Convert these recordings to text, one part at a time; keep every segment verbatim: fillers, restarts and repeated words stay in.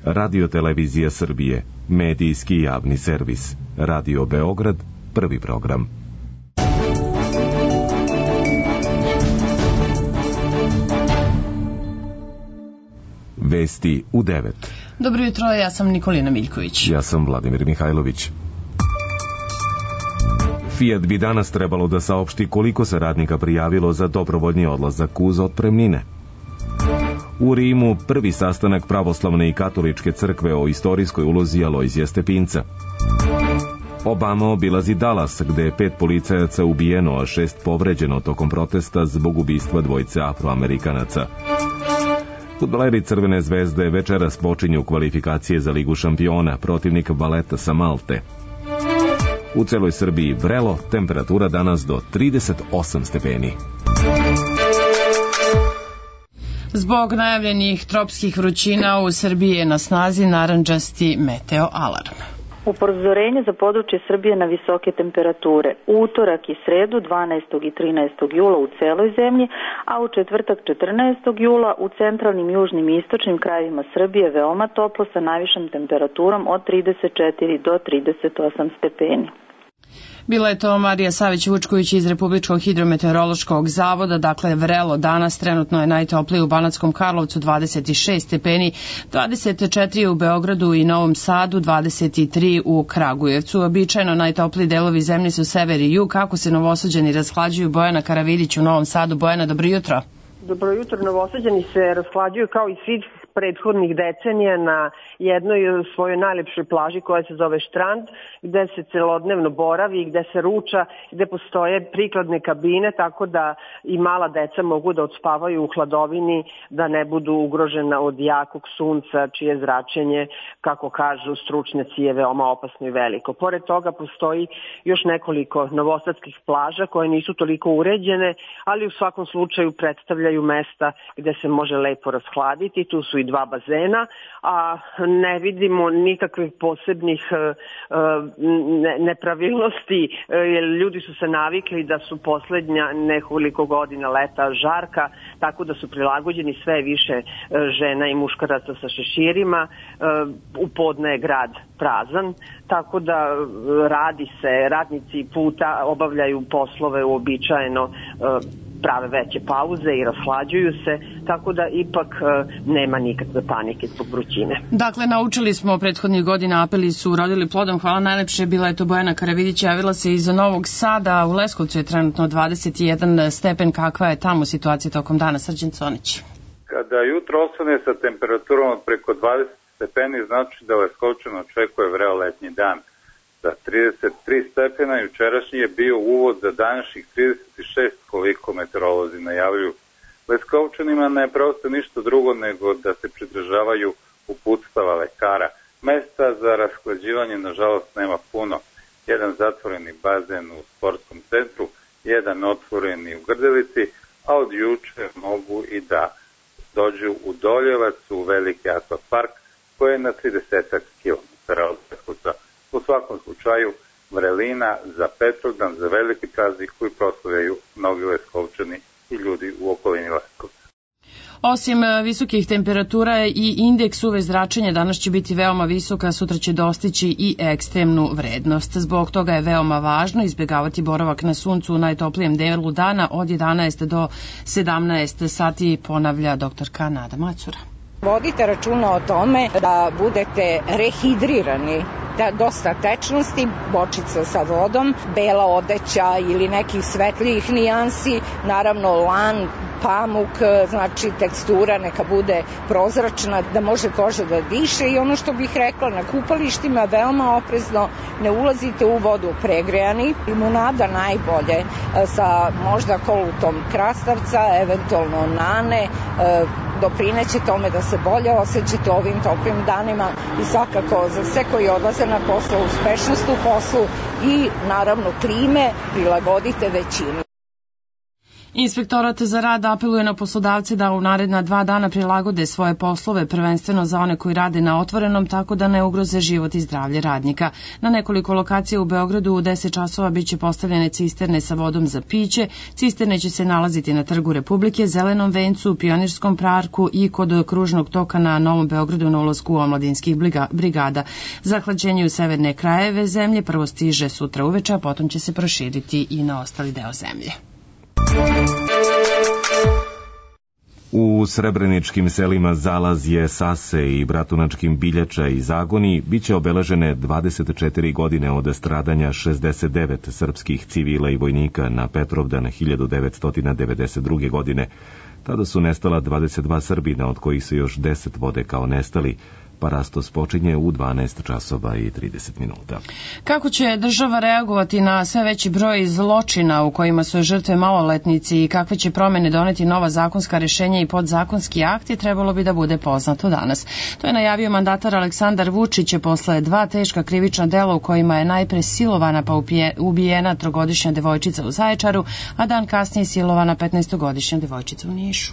Radio-televizija Srbije, medijski javni servis. Radio Beograd, prvi program. Vesti u devet. Dobro jutro, ja sam Nikolina Miljković. Ja sam Vladimir Mihajlović. Fiat bi danas trebalo da saopšti koliko se radnika prijavilo za dobrovoljni odlazak uz otpremnine. U Rimu prvi sastanak pravoslavne i katoličke crkve o istorijskoj ulozi Alojzija Stepinca. Obama obilazi Dallas, gde je pet policajaca ubijeno, a šest povređeno tokom protesta zbog ubistva dvojice Afroamerikanaca. Fudbaleri Crvene zvezde večeras počinju kvalifikacije za Ligu šampiona, protivnik Valeta sa Malte. U celoj Srbiji vrelo, temperatura danas do trideset osam stepeni. Zbog najavljenih tropskih vrućina u Srbiji je na snazi narandžasti meteo alarm. Upozorenje za područje Srbije na visoke temperature. U utorak i sredu dvanaestog i trinaestog jula u celoj zemlji, a u četvrtak četrnaestog jula u centralnim, južnim i istočnim krajevima Srbije veoma toplo sa najvišom temperaturom od trideset četiri do trideset osam stepeni. Bila je to Marija Savić-Vučković iz Republičkog hidrometeorološkog zavoda. Dakle, vrelo danas, trenutno je najtoplije u Banatskom Karlovcu dvadeset šest stepeni, dvadeset četiri u Beogradu i Novom Sadu, dvadeset tri u Kragujevcu. Običajno najtopliji delovi zemlje su sever i jug. Kako se Novosađani rashlađuju? Bojana Karavidić u Novom Sadu. Bojana, dobro jutro. Dobro jutro, Novosađani se rashlađuju kao i svih prethodnih decenija na jednoj svojoj najlepšoj plaži koja se zove Štrand, gde se celodnevno boravi, gde se ruča, gde postoje prikladne kabine, tako da i mala deca mogu da odspavaju u hladovini, da ne budu ugrožena od jakog sunca, čije zračenje, kako kažu stručnjaci, je veoma opasno i veliko. Pored toga postoji još nekoliko novosadskih plaža koje nisu toliko uređene, ali u svakom slučaju predstavljaju mesta gde se može lepo rashladiti. Tu su i dva bazena, a ne vidimo nikakvih posebnih nepravilnosti, jer ljudi su se navikli da su poslednja nekoliko godina leta žarka, tako da su prilagođeni, sve više žena i muškaraca sa šeširima. U podne je grad prazan, tako da radi se, radnici puta obavljaju poslove uobičajeno, prave veće pauze i rashlađuju se, tako da ipak nema nikakve panike zbog vrućine. Dakle, naučili smo prethodnih godina, apeli su urodili plodom. Hvala najlepše, bila je to Bojana Karavidić, javila se iz Novog Sada. U Leskovcu je trenutno dvadeset jedan stepen. Kakva je tamo situacija tokom dana? Srđan Conić. Kada jutro osvane sa temperaturom od preko dvadeset stepeni, znači da Leskovčan očekuje vreo letnji dan. Za trideset tri stepena jučerašnji je bio uvod za današnjih trideset šest, koliko meteorolozi najavljuju. Leskovčanima ne preostaje ništa drugo nego da se pridržavaju uputstava lekara. Mesta za rashlađivanje nažalost nema puno. Jedan zatvoreni bazen u sportskom centru, jedan otvoreni u Grdelici, a od juče mogu i da dođu u Doljevac, u veliki akvapark koji je na trideset kilometara od Leskovca. U svakom slučaju, vrelina za Petrovdan, za veliki praznik koji proslavljaju mnogi Leskovčani i ljudi u okolini Leskovca. Osim visokih temperatura i indeks U V zračenja danas će biti veoma visoka, sutra će dostići i ekstremnu vrednost. Zbog toga je veoma važno izbjegavati boravak na suncu u najtoplijem delu dana od jedanaest do sedamnaest sati, ponavlja doktorka Nada Macura. Vodite računa o tome da budete rehidrirani, da dosta tečnosti, bočica sa vodom, bela odeća ili nekih svetlijih nijansi, naravno lan, pamuk, znači tekstura neka bude prozračna, da može koža da diše. I ono što bih rekla, na kupalištima veoma oprezno, ne ulazite u vodu pregrejani, limunada najbolje sa možda kolutom krastavca, eventualno nane, doprineće tome da se bolje osjećate ovim toplim danima i svakako za sve koji odlaze na poslu, uspešnost u poslu i naravno klime prilagodite većini. Inspektorat za rad apeluje na poslodavce da u naredna dva dana prilagode svoje poslove, prvenstveno za one koji rade na otvorenom, tako da ne ugroze život i zdravlje radnika. Na nekoliko lokacija u Beogradu u deset časova biće postavljene cisterne sa vodom za piće. Cisterne će se nalaziti na Trgu Republike, Zelenom vencu, Pionirskom parku i kod kružnog toka na Novom Beogradu na ulasku omladinskih brigada. Zahlađenje u severne krajeve zemlje prvo stiže sutra uveče, a potom će se proširiti i na ostali deo zemlje. U srebreničkim selima Zalazje, Sase i Bratunačkim Biljača i Zagoni biće obeležene dvadeset četiri godine od stradanja šezdeset devet srpskih civila i vojnika na Petrovdan hiljadu devetsto devedeset druge. godine. Tada su nestala dvadeset dva Srbina, od kojih se još deset vode kao nestali. Parastos počinje u dvanaest časova i trideset minuta. Kako će država reagovati na sve veći broj zločina u kojima su žrtve maloletnici i kakve će promene doneti nova zakonska rešenja i podzakonski akti, trebalo bi da bude poznato danas. To je najavio mandatar Aleksandar Vučić posle dva teška krivična dela u kojima je najpre silovana pa ubijena trogodišnja devojčica u Zaječaru, a dan kasnije silovana petnaestogodišnja devojčica u Nišu.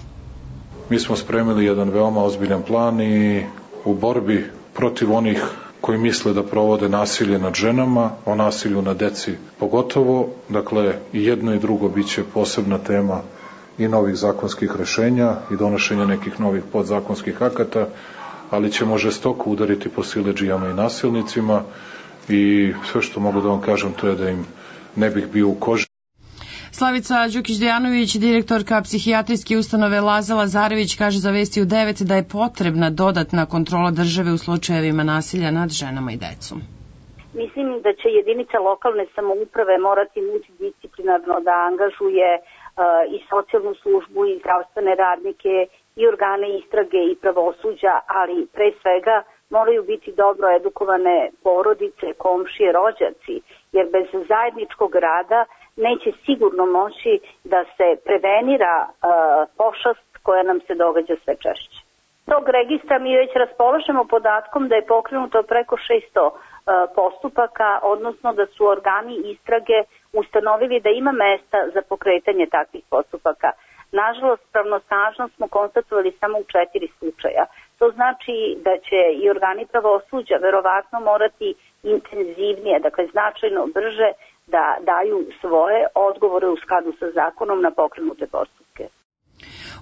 Mi smo spremili jedan veoma ozbiljan plan i u borbi protiv onih koji misle da provode nasilje nad ženama, o nasilju na deci pogotovo. Dakle, i jedno i drugo biće posebna tema i novih zakonskih rešenja i donošenja nekih novih podzakonskih akata, ali ćemo žestoko udariti po siledžijama i nasilnicima i sve što mogu da vam kažem to je da im ne bih bio u koži. Slavica Đukić-Dejanović, direktorka psihijatrijske ustanove Laza Lazarević, kaže za Vesti u devet da je potrebna dodatna kontrola države u slučajevima nasilja nad ženama i decom. Mislim da će jedinica lokalne samouprave morati multidisciplinarno da angažuje uh, i socijalnu službu i zdravstvene radnike i organe istrage i pravosuđa, ali pre svega moraju biti dobro edukovane porodice, komšije, rođaci, jer bez zajedničkog rada neće sigurno moći da se prevenira uh, pošast koja nam se događa sve češće. Tog registra mi već raspolažemo podatkom da je pokrenuto preko šesto uh, postupaka, odnosno da su organi istrage ustanovili da ima mesta za pokretanje takvih postupaka. Nažalost, pravnosnažno smo konstatovali samo u četiri slučaja. To znači da će i organi pravosuđa verovatno morati intenzivnije, dakle značajno brže, da daju svoje odgovore u skladu sa zakonom na pokrenute postupke.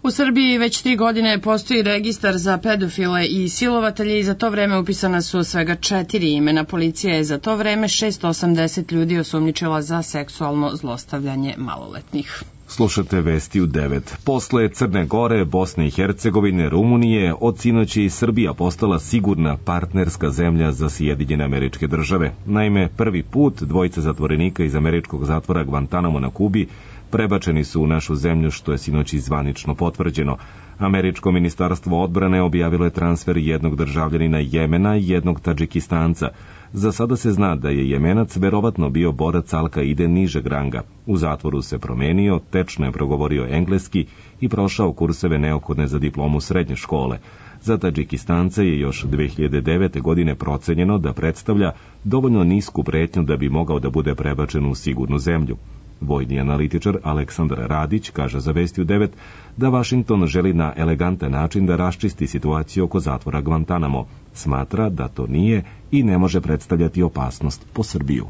U Srbiji već tri godine postoji registar za pedofile i silovatelje i za to vreme upisana su svega četiri imena. Policija je za to vreme šesto osamdeset ljudi osumnjičila za seksualno zlostavljanje maloletnih. Slušate Vesti u devet. Posle Crne Gore, Bosne i Hercegovine, Rumunije, od sinoći i Srbija postala sigurna partnerska zemlja za Sjedinjene Američke Države. Naime, prvi put dvojica zatvorenika iz američkog zatvora Guantanamo na Kubi prebačeni su u našu zemlju, što je sinoći zvanično potvrđeno. Američko ministarstvo odbrane objavilo je transfer jednog državljanina Jemena i jednog Tadžikistanca. Za sada se zna da je Jemenac verovatno bio borac Al-Kaide nižeg ranga. U zatvoru se promenio, tečno je progovorio engleski i prošao kurseve neophodne za diplomu srednje škole. Za Tadžikistance je još dve hiljade devete. godine procenjeno da predstavlja dovoljno nisku pretnju da bi mogao da bude prebačen u sigurnu zemlju. Vojni analitičar Aleksandar Radić kaže za Vesti u devet da Vašington želi na elegantan način da raščisti situaciju oko zatvora Guantanamo. Smatra da to nije i ne može predstavljati opasnost po Srbiju.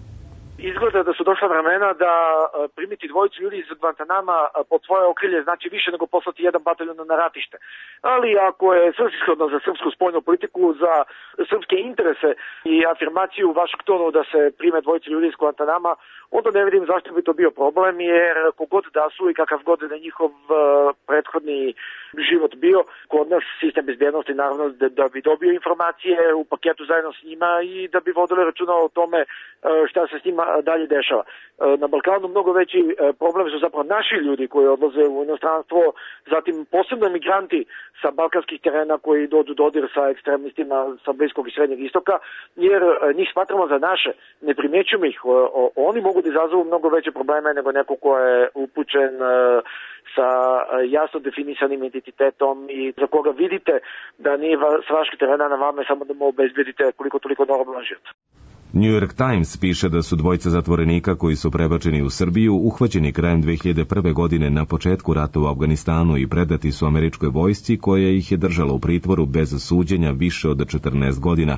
Izgleda da su došla vremena da primiti dvojicu ljudi iz Guantanama pod svoje okrilje znači više nego poslati jedan bataljon na ratište. Ali ako je svrsishodno za srpsku spoljnu politiku, za srpske interese i afirmaciju u Vašingtonu da se prime dvojicu ljudi iz Guantanama, onda ne vidim zašto bi to bio problem, jer kogod da su i kakav god da njihov prethodni život bio, kod nas sistem bezbjednosti naravno da, da bi dobio informacije u paketu zajedno s njima i da bi vodili računa o tome šta se s njima dalje dešava. Na Balkanu mnogo veći problem su zapravo naši ljudi koji odlaze u inostranstvo, zatim posebno migranti sa balkanskih terena koji dođu dodir sa ekstremistima sa Bliskog i Srednjeg istoka, jer njih smatramo za naše, ne primjećujemo ih, oni mogu da izazovu mnogo veće probleme nego neko ko je upućen sa jasno definisanim identitetom i za koga vidite da nije s vaših terena na vama samo da mu obezbedite koliko toliko normalan život. New York Times piše da su dvojica zatvorenika koji su prebačeni u Srbiju uhvaćeni krajem dve hiljade prve. godine na početku rata u Afganistanu i predati su američkoj vojsci koja ih je držala u pritvoru bez suđenja više od četrnaest godina.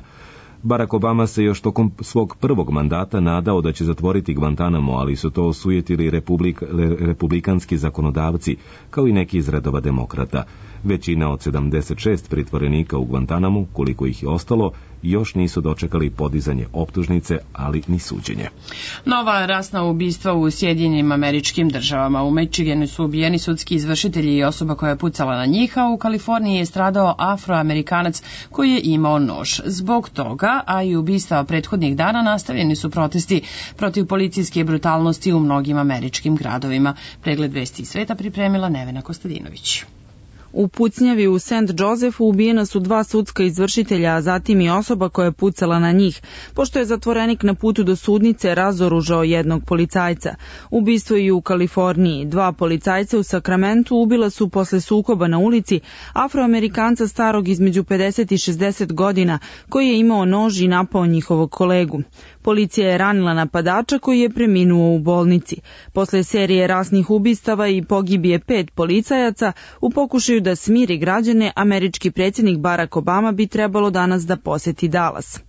Barack Obama se još tokom svog prvog mandata nadao da će zatvoriti Guantanamo, ali su to osujetili republik, republikanski zakonodavci, kao i neki iz redova demokrata. Većina od sedamdeset šest pritvorenika u Guantanamu, koliko ih je ostalo, još nisu dočekali podizanje optužnice, ali ni suđenje. Nova rasna ubistva u Sjedinjenim Američkim Državama. U Michiganu su ubijeni sudski izvršitelji i osoba koja je pucala na njih, a u Kaliforniji je stradao Afroamerikanac koji je imao nož. Zbog toga, a i ubistva prethodnih dana, nastavljeni su protesti protiv policijske brutalnosti u mnogim američkim gradovima. Pregled vesti iz sveta pripremila Nevena Kostadinović. U pucnjavi u Saint Josephu ubijena su dva sudska izvršitelja, a zatim i osoba koja je pucala na njih, pošto je zatvorenik na putu do sudnice razoružao jednog policajca. Ubistvo i u Kaliforniji. Dva policajca u Sakramentu ubila su posle sukoba na ulici Afroamerikanca starog između pedeset i šezdeset godina, koji je imao nož i napao njihovog kolegu. Policija je ranila napadača koji je preminuo u bolnici. Posle serije rasnih ubistava i pogibije pet policajaca, u pokušaju da smiri građane, američki predsjednik Barack Obama bi trebalo danas da poseti Dallas.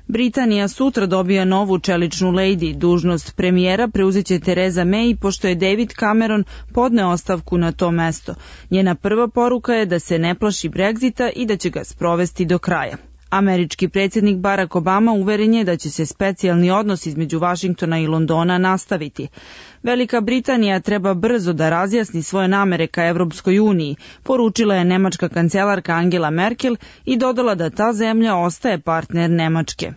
Britanija sutra dobija novu čeličnu lejdi. Dužnost premijera preuzeće Theresa May, pošto je David Cameron podneo ostavku na to mesto. Njena prva poruka je da se ne plaši Brexita i da će ga sprovesti do kraja. Američki predsjednik Barack Obama uveren je da će se specijalni odnos između Vašingtona i Londona nastaviti. Velika Britanija treba brzo da razjasni svoje namere ka Evropskoj uniji, poručila je nemačka kancelarka Angela Merkel i dodala da ta zemlja ostaje partner Nemačke.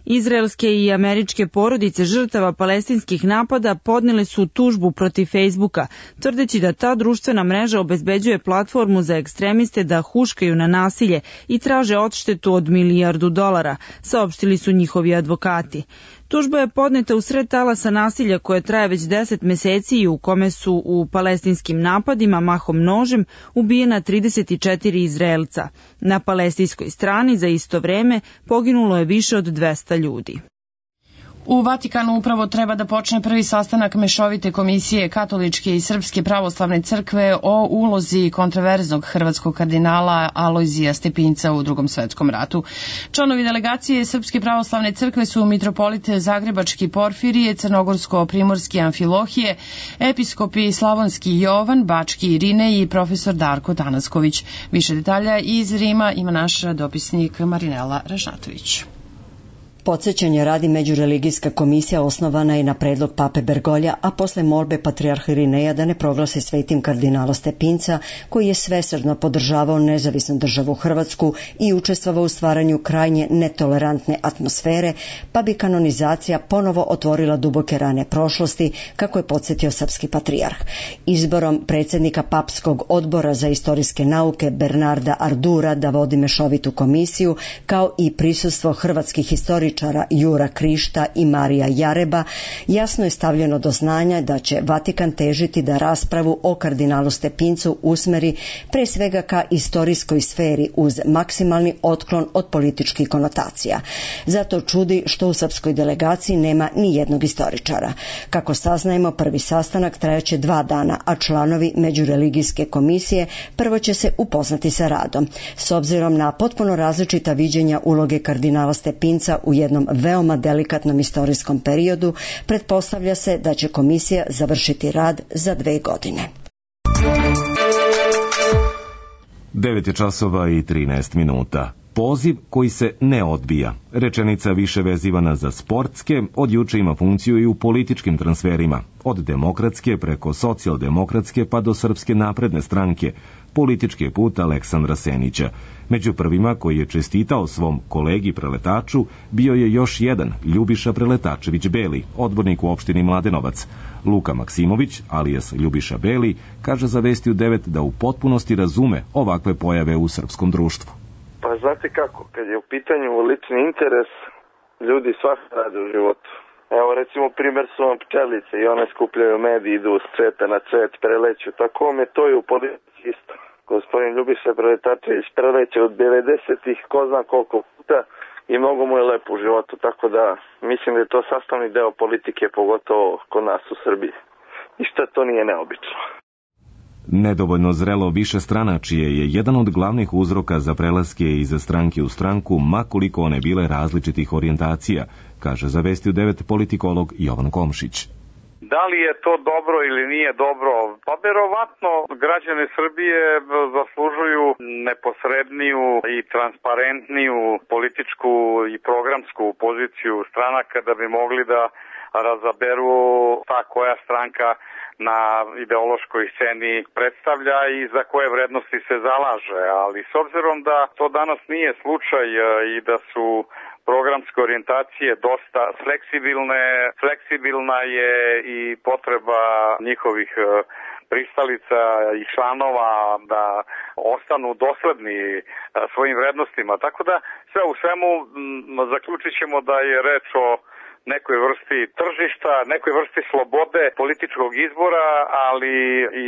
Izraelske i američke porodice žrtava palestinskih napada podnele su tužbu protiv Facebooka, tvrdeći da ta društvena mreža obezbeđuje platformu za ekstremiste da huškaju na nasilje i traže odštetu od milijardu dolara, saopštili su njihovi advokati. Tužba je podneta u sred talasa nasilja koje traje već deset meseci i u kome su u palestinskim napadima mahom nožem ubijena trideset četiri Izraelca. Na palestinskoj strani za isto vreme poginulo je više od dvesta ljudi. U Vatikanu upravo treba da počne prvi sastanak mešovite komisije Katoličke i Srpske pravoslavne crkve o ulozi kontraverznog hrvatskog kardinala Alojzija Stepinca u Drugom svetskom ratu. Članovi delegacije Srpske pravoslavne crkve su mitropolite Zagrebački Porfirije, Crnogorsko-Primorski Amfilohije, episkopi Slavonski Jovan, Bački Irine i profesor Darko Tanasković. Više detalja iz Rima ima naš dopisnik Marinela Ražnatović. Podsećanje radi međureligijska komisija osnovana je na predlog pape Bergolja, a posle molbe patrijarha Irineja da ne proglasi svetim kardinala Stepinca, koji je svesrdno podržavao nezavisnu državu Hrvatsku i učestvovao u stvaranju krajnje netolerantne atmosfere, pa bi kanonizacija ponovo otvorila duboke rane prošlosti, kako je podsjetio srpski patrijarh. Izborom predsjednika papskog odbora za istorijske nauke Bernarda Ardura da vodi mešovitu komisiju, kao i prisustvo hrvatskih historičara Jura Krišta i Marija Jareba, jasno je stavljeno do znanja da će Vatikan težiti da raspravu o kardinalu Stepincu usmeri pre svega ka istorijskoj sferi uz maksimalni otklon od političkih konotacija. Zato čudi što u srpskoj delegaciji nema ni jednog istoričara. Kako saznajemo, prvi sastanak trajaće dva dana, a članovi međureligijske komisije prvo će se upoznati sa radom. S obzirom na potpuno različita viđenja uloge kardinala Stepinca u jednom veoma delikatnom istorijskom periodu, pretpostavlja se da će komisija završiti rad za dve godine. devet je časova i trinaest minuta. Poziv koji se ne odbija. Rečenica više vezivana za sportske, od juče ima funkciju i u političkim transferima. Od demokratske preko socijaldemokratske pa do Srpske napredne stranke. Politički je put Aleksandra Senića. Među prvima koji je čestitao svom kolegi preletaču bio je još jedan, Ljubiša Preletačević Beli, odbornik u opštini Mladenovac. Luka Maksimović, alias Ljubiša Beli, kaže za Vesti u devet da u potpunosti razume ovakve pojave u srpskom društvu. Pa znate kako, kad je u pitanju lični interes, ljudi svašta rade u životu. Evo recimo primjer su vam pčelice i one skupljaju med, idu s cveta na cvet, preleću. Tako vam je to i u politici isto. Gospodin Ljubiša Preletačević preleće od devedesetih ko zna koliko puta, i mnogo mu je lepo u životu, tako da mislim da je to sastavni deo politike, pogotovo kod nas u Srbiji. I što to nije neobično. Nedovoljno zrelo višestranačije je jedan od glavnih uzroka za prelaske iz stranke u stranku, ma koliko one bile različitih orijentacija, kaže za Vesti u devet politikolog Jovan Komšić. Da li je to dobro ili nije dobro? Pa verovatno građani Srbije zaslužuju neposredniju i transparentniju političku i programsku poziciju stranaka da bi mogli da razaberu ta koja stranka na ideološkoj sceni predstavlja i za koje vrednosti se zalaže, ali s obzirom da to danas nije slučaj i da su programske orijentacije dosta fleksibilne, fleksibilna je i potreba njihovih pristalica i članova da ostanu dosledni svojim vrednostima. Tako da sve u svemu zaključit ćemo da je reč o nekoj vrsti tržišta, nekoj vrsti slobode političkog izbora, ali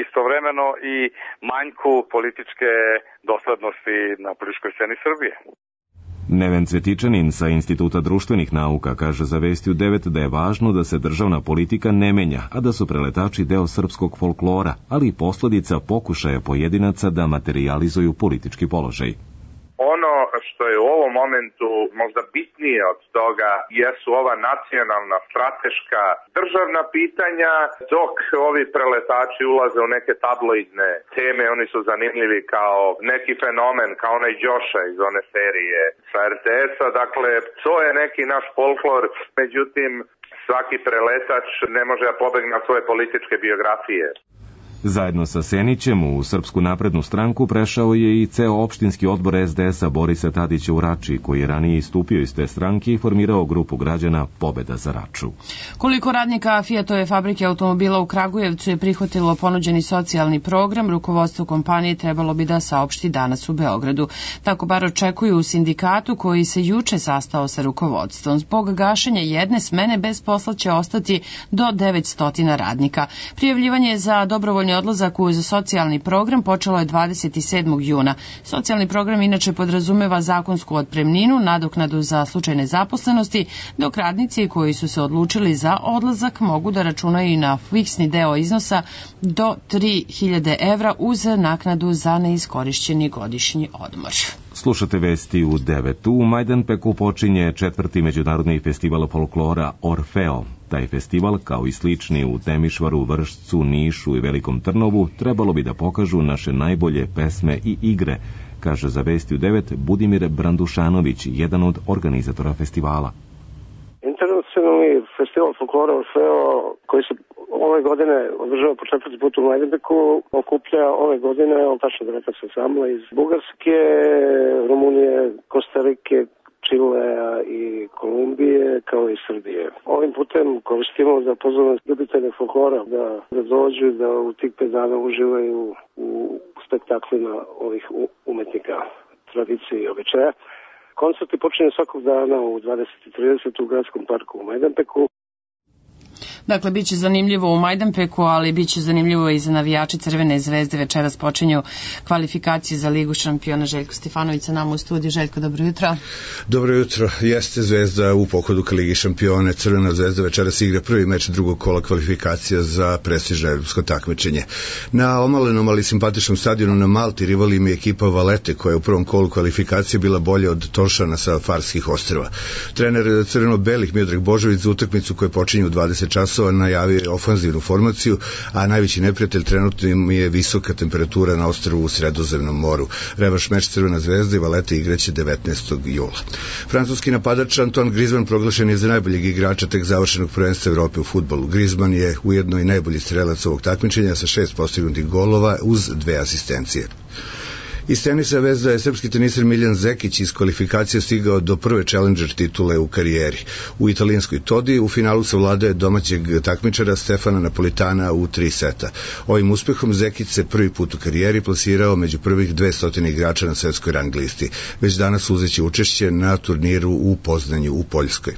istovremeno i manjku političke doslednosti na političkoj sceni Srbije. Neven Cvetičanin sa Instituta društvenih nauka kaže za Vesti u devet da je važno da se državna politika ne menja, a da su preletači deo srpskog folklora, ali i posledica pokušaja pojedinaca da materializuju politički položaj. Ono što je u ovom momentu možda bitnije od toga jesu ova nacionalna, strateška, državna pitanja, dok ovi preletači ulaze u neke tabloidne teme, oni su zanimljivi kao neki fenomen, kao onaj Đoša iz one serije sa er te es-a, dakle to je neki naš folklor, međutim svaki preletač ne može da pobegne na svoje političke biografije. Zajedno sa Senićem u Srpsku naprednu stranku prešao je i ceo opštinski odbor es de es-a Borisa Tadića u Rači, koji je ranije istupio iz te stranke i formirao grupu građana Pobeda za Raču. Koliko radnika Fiatove fabrike automobila u Kragujevcu je prihvatilo ponuđeni socijalni program, rukovodstvo kompanije trebalo bi da saopšti danas u Beogradu. Tako bar očekuju u sindikatu koji se juče sastao sa rukovodstvom. Zbog gašenja jedne smene bez posla će ostati do devetsto radnika. Prijavljivanje za dobrovoljno odlazak uz socijalni program počelo je dvadeset sedmog juna. Socijalni program inače podrazumeva zakonsku otpremninu, nadoknadu za slučaj nezaposlenosti, dok radnici koji su se odlučili za odlazak mogu da računaju i na fiksni deo iznosa do tri hiljade evra uz naknadu za neiskorišćeni godišnji odmor. Slušate Vesti u devet. U Majdanpeku počinje četvrti međunarodni festival folklora Orfeo. Taj festival, kao i slični u Temišvaru, Vršcu, Nišu i Velikom Trnovu, trebalo bi da pokažu naše najbolje pesme i igre, kaže za Vesti u devet Budimir Brandušanović, jedan od organizatora festivala. Internacionalni festival folklora Orfeo, koji se ove godine održava po četvrti put u Majdanpeku, okuplja ove godine, on tačno da rekao se samla iz Bugarske, Rumunije, Kostarike, Čilea i Kolumbije, kao i Srbije. Ovim putem koristimo da pozovemo ljubitelje folklora da, da dođu, da u tih pet dana uživaju u spektaklima ovih umetnika, tradicije i običaja. Koncerti počinju svakog dana u dvadeset i trideset u gradskom parku u Majdanpeku. Dakle, bit će zanimljivo u Majdanpeku, ali bit će zanimljivo i za navijače Crvene zvezde. Večeras počinju kvalifikacije za Ligu šampiona. Željko Stefanović sa nama u studiju. Željko, dobro jutro. Dobro jutro. Jeste Zvezda u pohodu ka Ligi šampione. Crvena zvezda večeras igra prvi meč drugog kola kvalifikacija za prestižno evropsko takmičenje. Na omalenom, ali simpatičnom stadionu na Malti rival im je ekipa Valete, koja je u prvom kolu kvalifikacije bila bolja od Tošana sa Farskih ostrva. Trener crveno-belih Miodrag Božović za utakmicu koja počinje u dvadeset časova najavio je ofanzivnu formaciju, a najveći neprijatelj trenutno im je visoka temperatura na ostrvu u Sredozemnom moru. Revanš meč Crvena zvezda i Valete igraće devetnaestog jula. Francuski napadač Antoine Griezmann proglašen je za najboljeg igrača tek završenog prvenstva Evrope u fudbalu. Griezmann je ujedno i najbolji strelac ovog takmičenja sa šest postignutih golova uz dve asistencije. Iz tenisa veza je srpski teniser Miljan Zekić iz kvalifikacije stigao do prve challenger titule u karijeri. U italijanskoj Todi u finalu savladao domaćeg takmičara Stefana Napolitana u tri seta. Ovim uspehom Zekić se prvi put u karijeri plasirao među prvih dvesta igrača na svetskoj rang listi. Već danas uzeće učešće na turniru u Poznanju u Poljskoj.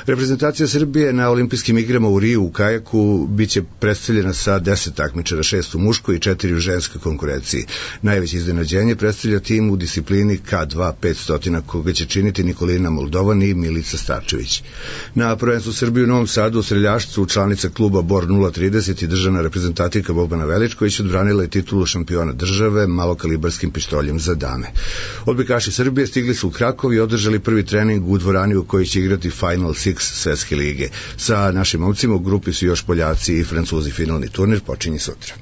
Reprezentacija Srbije na olimpijskim igrama u Riju u kajaku biće predstavljena sa deset takmičara, šest u muškoj i četiri u ženskoj konkurenciji. Najveće iznenađenje udruženje predstavlja tim u disciplini K dva petsto, koga će činiti Nikolina Moldovan i Milica Starčević. Na prvenstvu Srbije u Novom Sadu u streljaštvu članica kluba Bor nula trideset i državna reprezentativka Bobana Veličković odbranila je titulu šampiona države malokalibarskim pištoljem za dame. Odbojkaši Srbije stigli su u Krakov i održali prvi trening u dvorani u kojoj će igrati Final Six Svetske lige. Sa našim momcima u grupi su još Poljaci i Francuzi. Finalni turnir počinje sutra.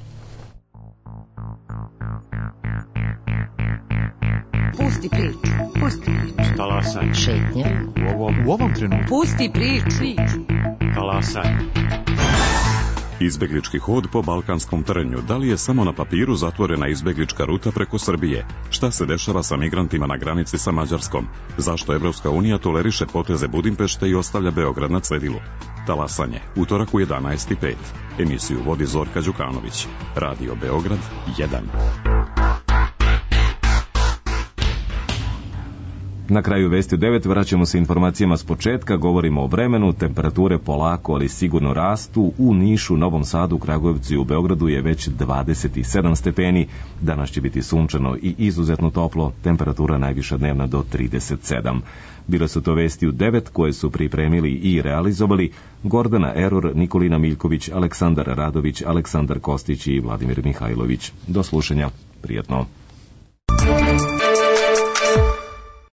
Pusti priču, pusti priču. Talasaj. Šetnja. U ovom, u ovom trenutku. Pusti priču. Talasaj. Izbeglički hod po balkanskom trnju. Da li je samo na papiru zatvorena izbeglička ruta preko Srbije? Šta se dešava sa migrantima na granici sa Mađarskom? Zašto Evropska unija toleriše poteze Budimpešte i ostavlja Beograd na cedilu? Talasanje, utorak u jedanaest i pet. Emisiju vodi Zorka Đukanović. Radio Beograd jedan. Na kraju vesti u devet vraćamo se informacijama s početka, govorimo o vremenu, temperature polako ali sigurno rastu, u Nišu, Novom Sadu, Kragujevcu i u Beogradu je već dvadeset sedam stepeni, danas će biti sunčano i izuzetno toplo, temperatura najviša dnevna do trideset sedam. Bile su to vesti u devet koje su pripremili i realizovali Gordana Eror, Nikolina Miljković, Aleksandar Radović, Aleksandar Kostić i Vladimir Mihajlović. Do slušanja, prijatno.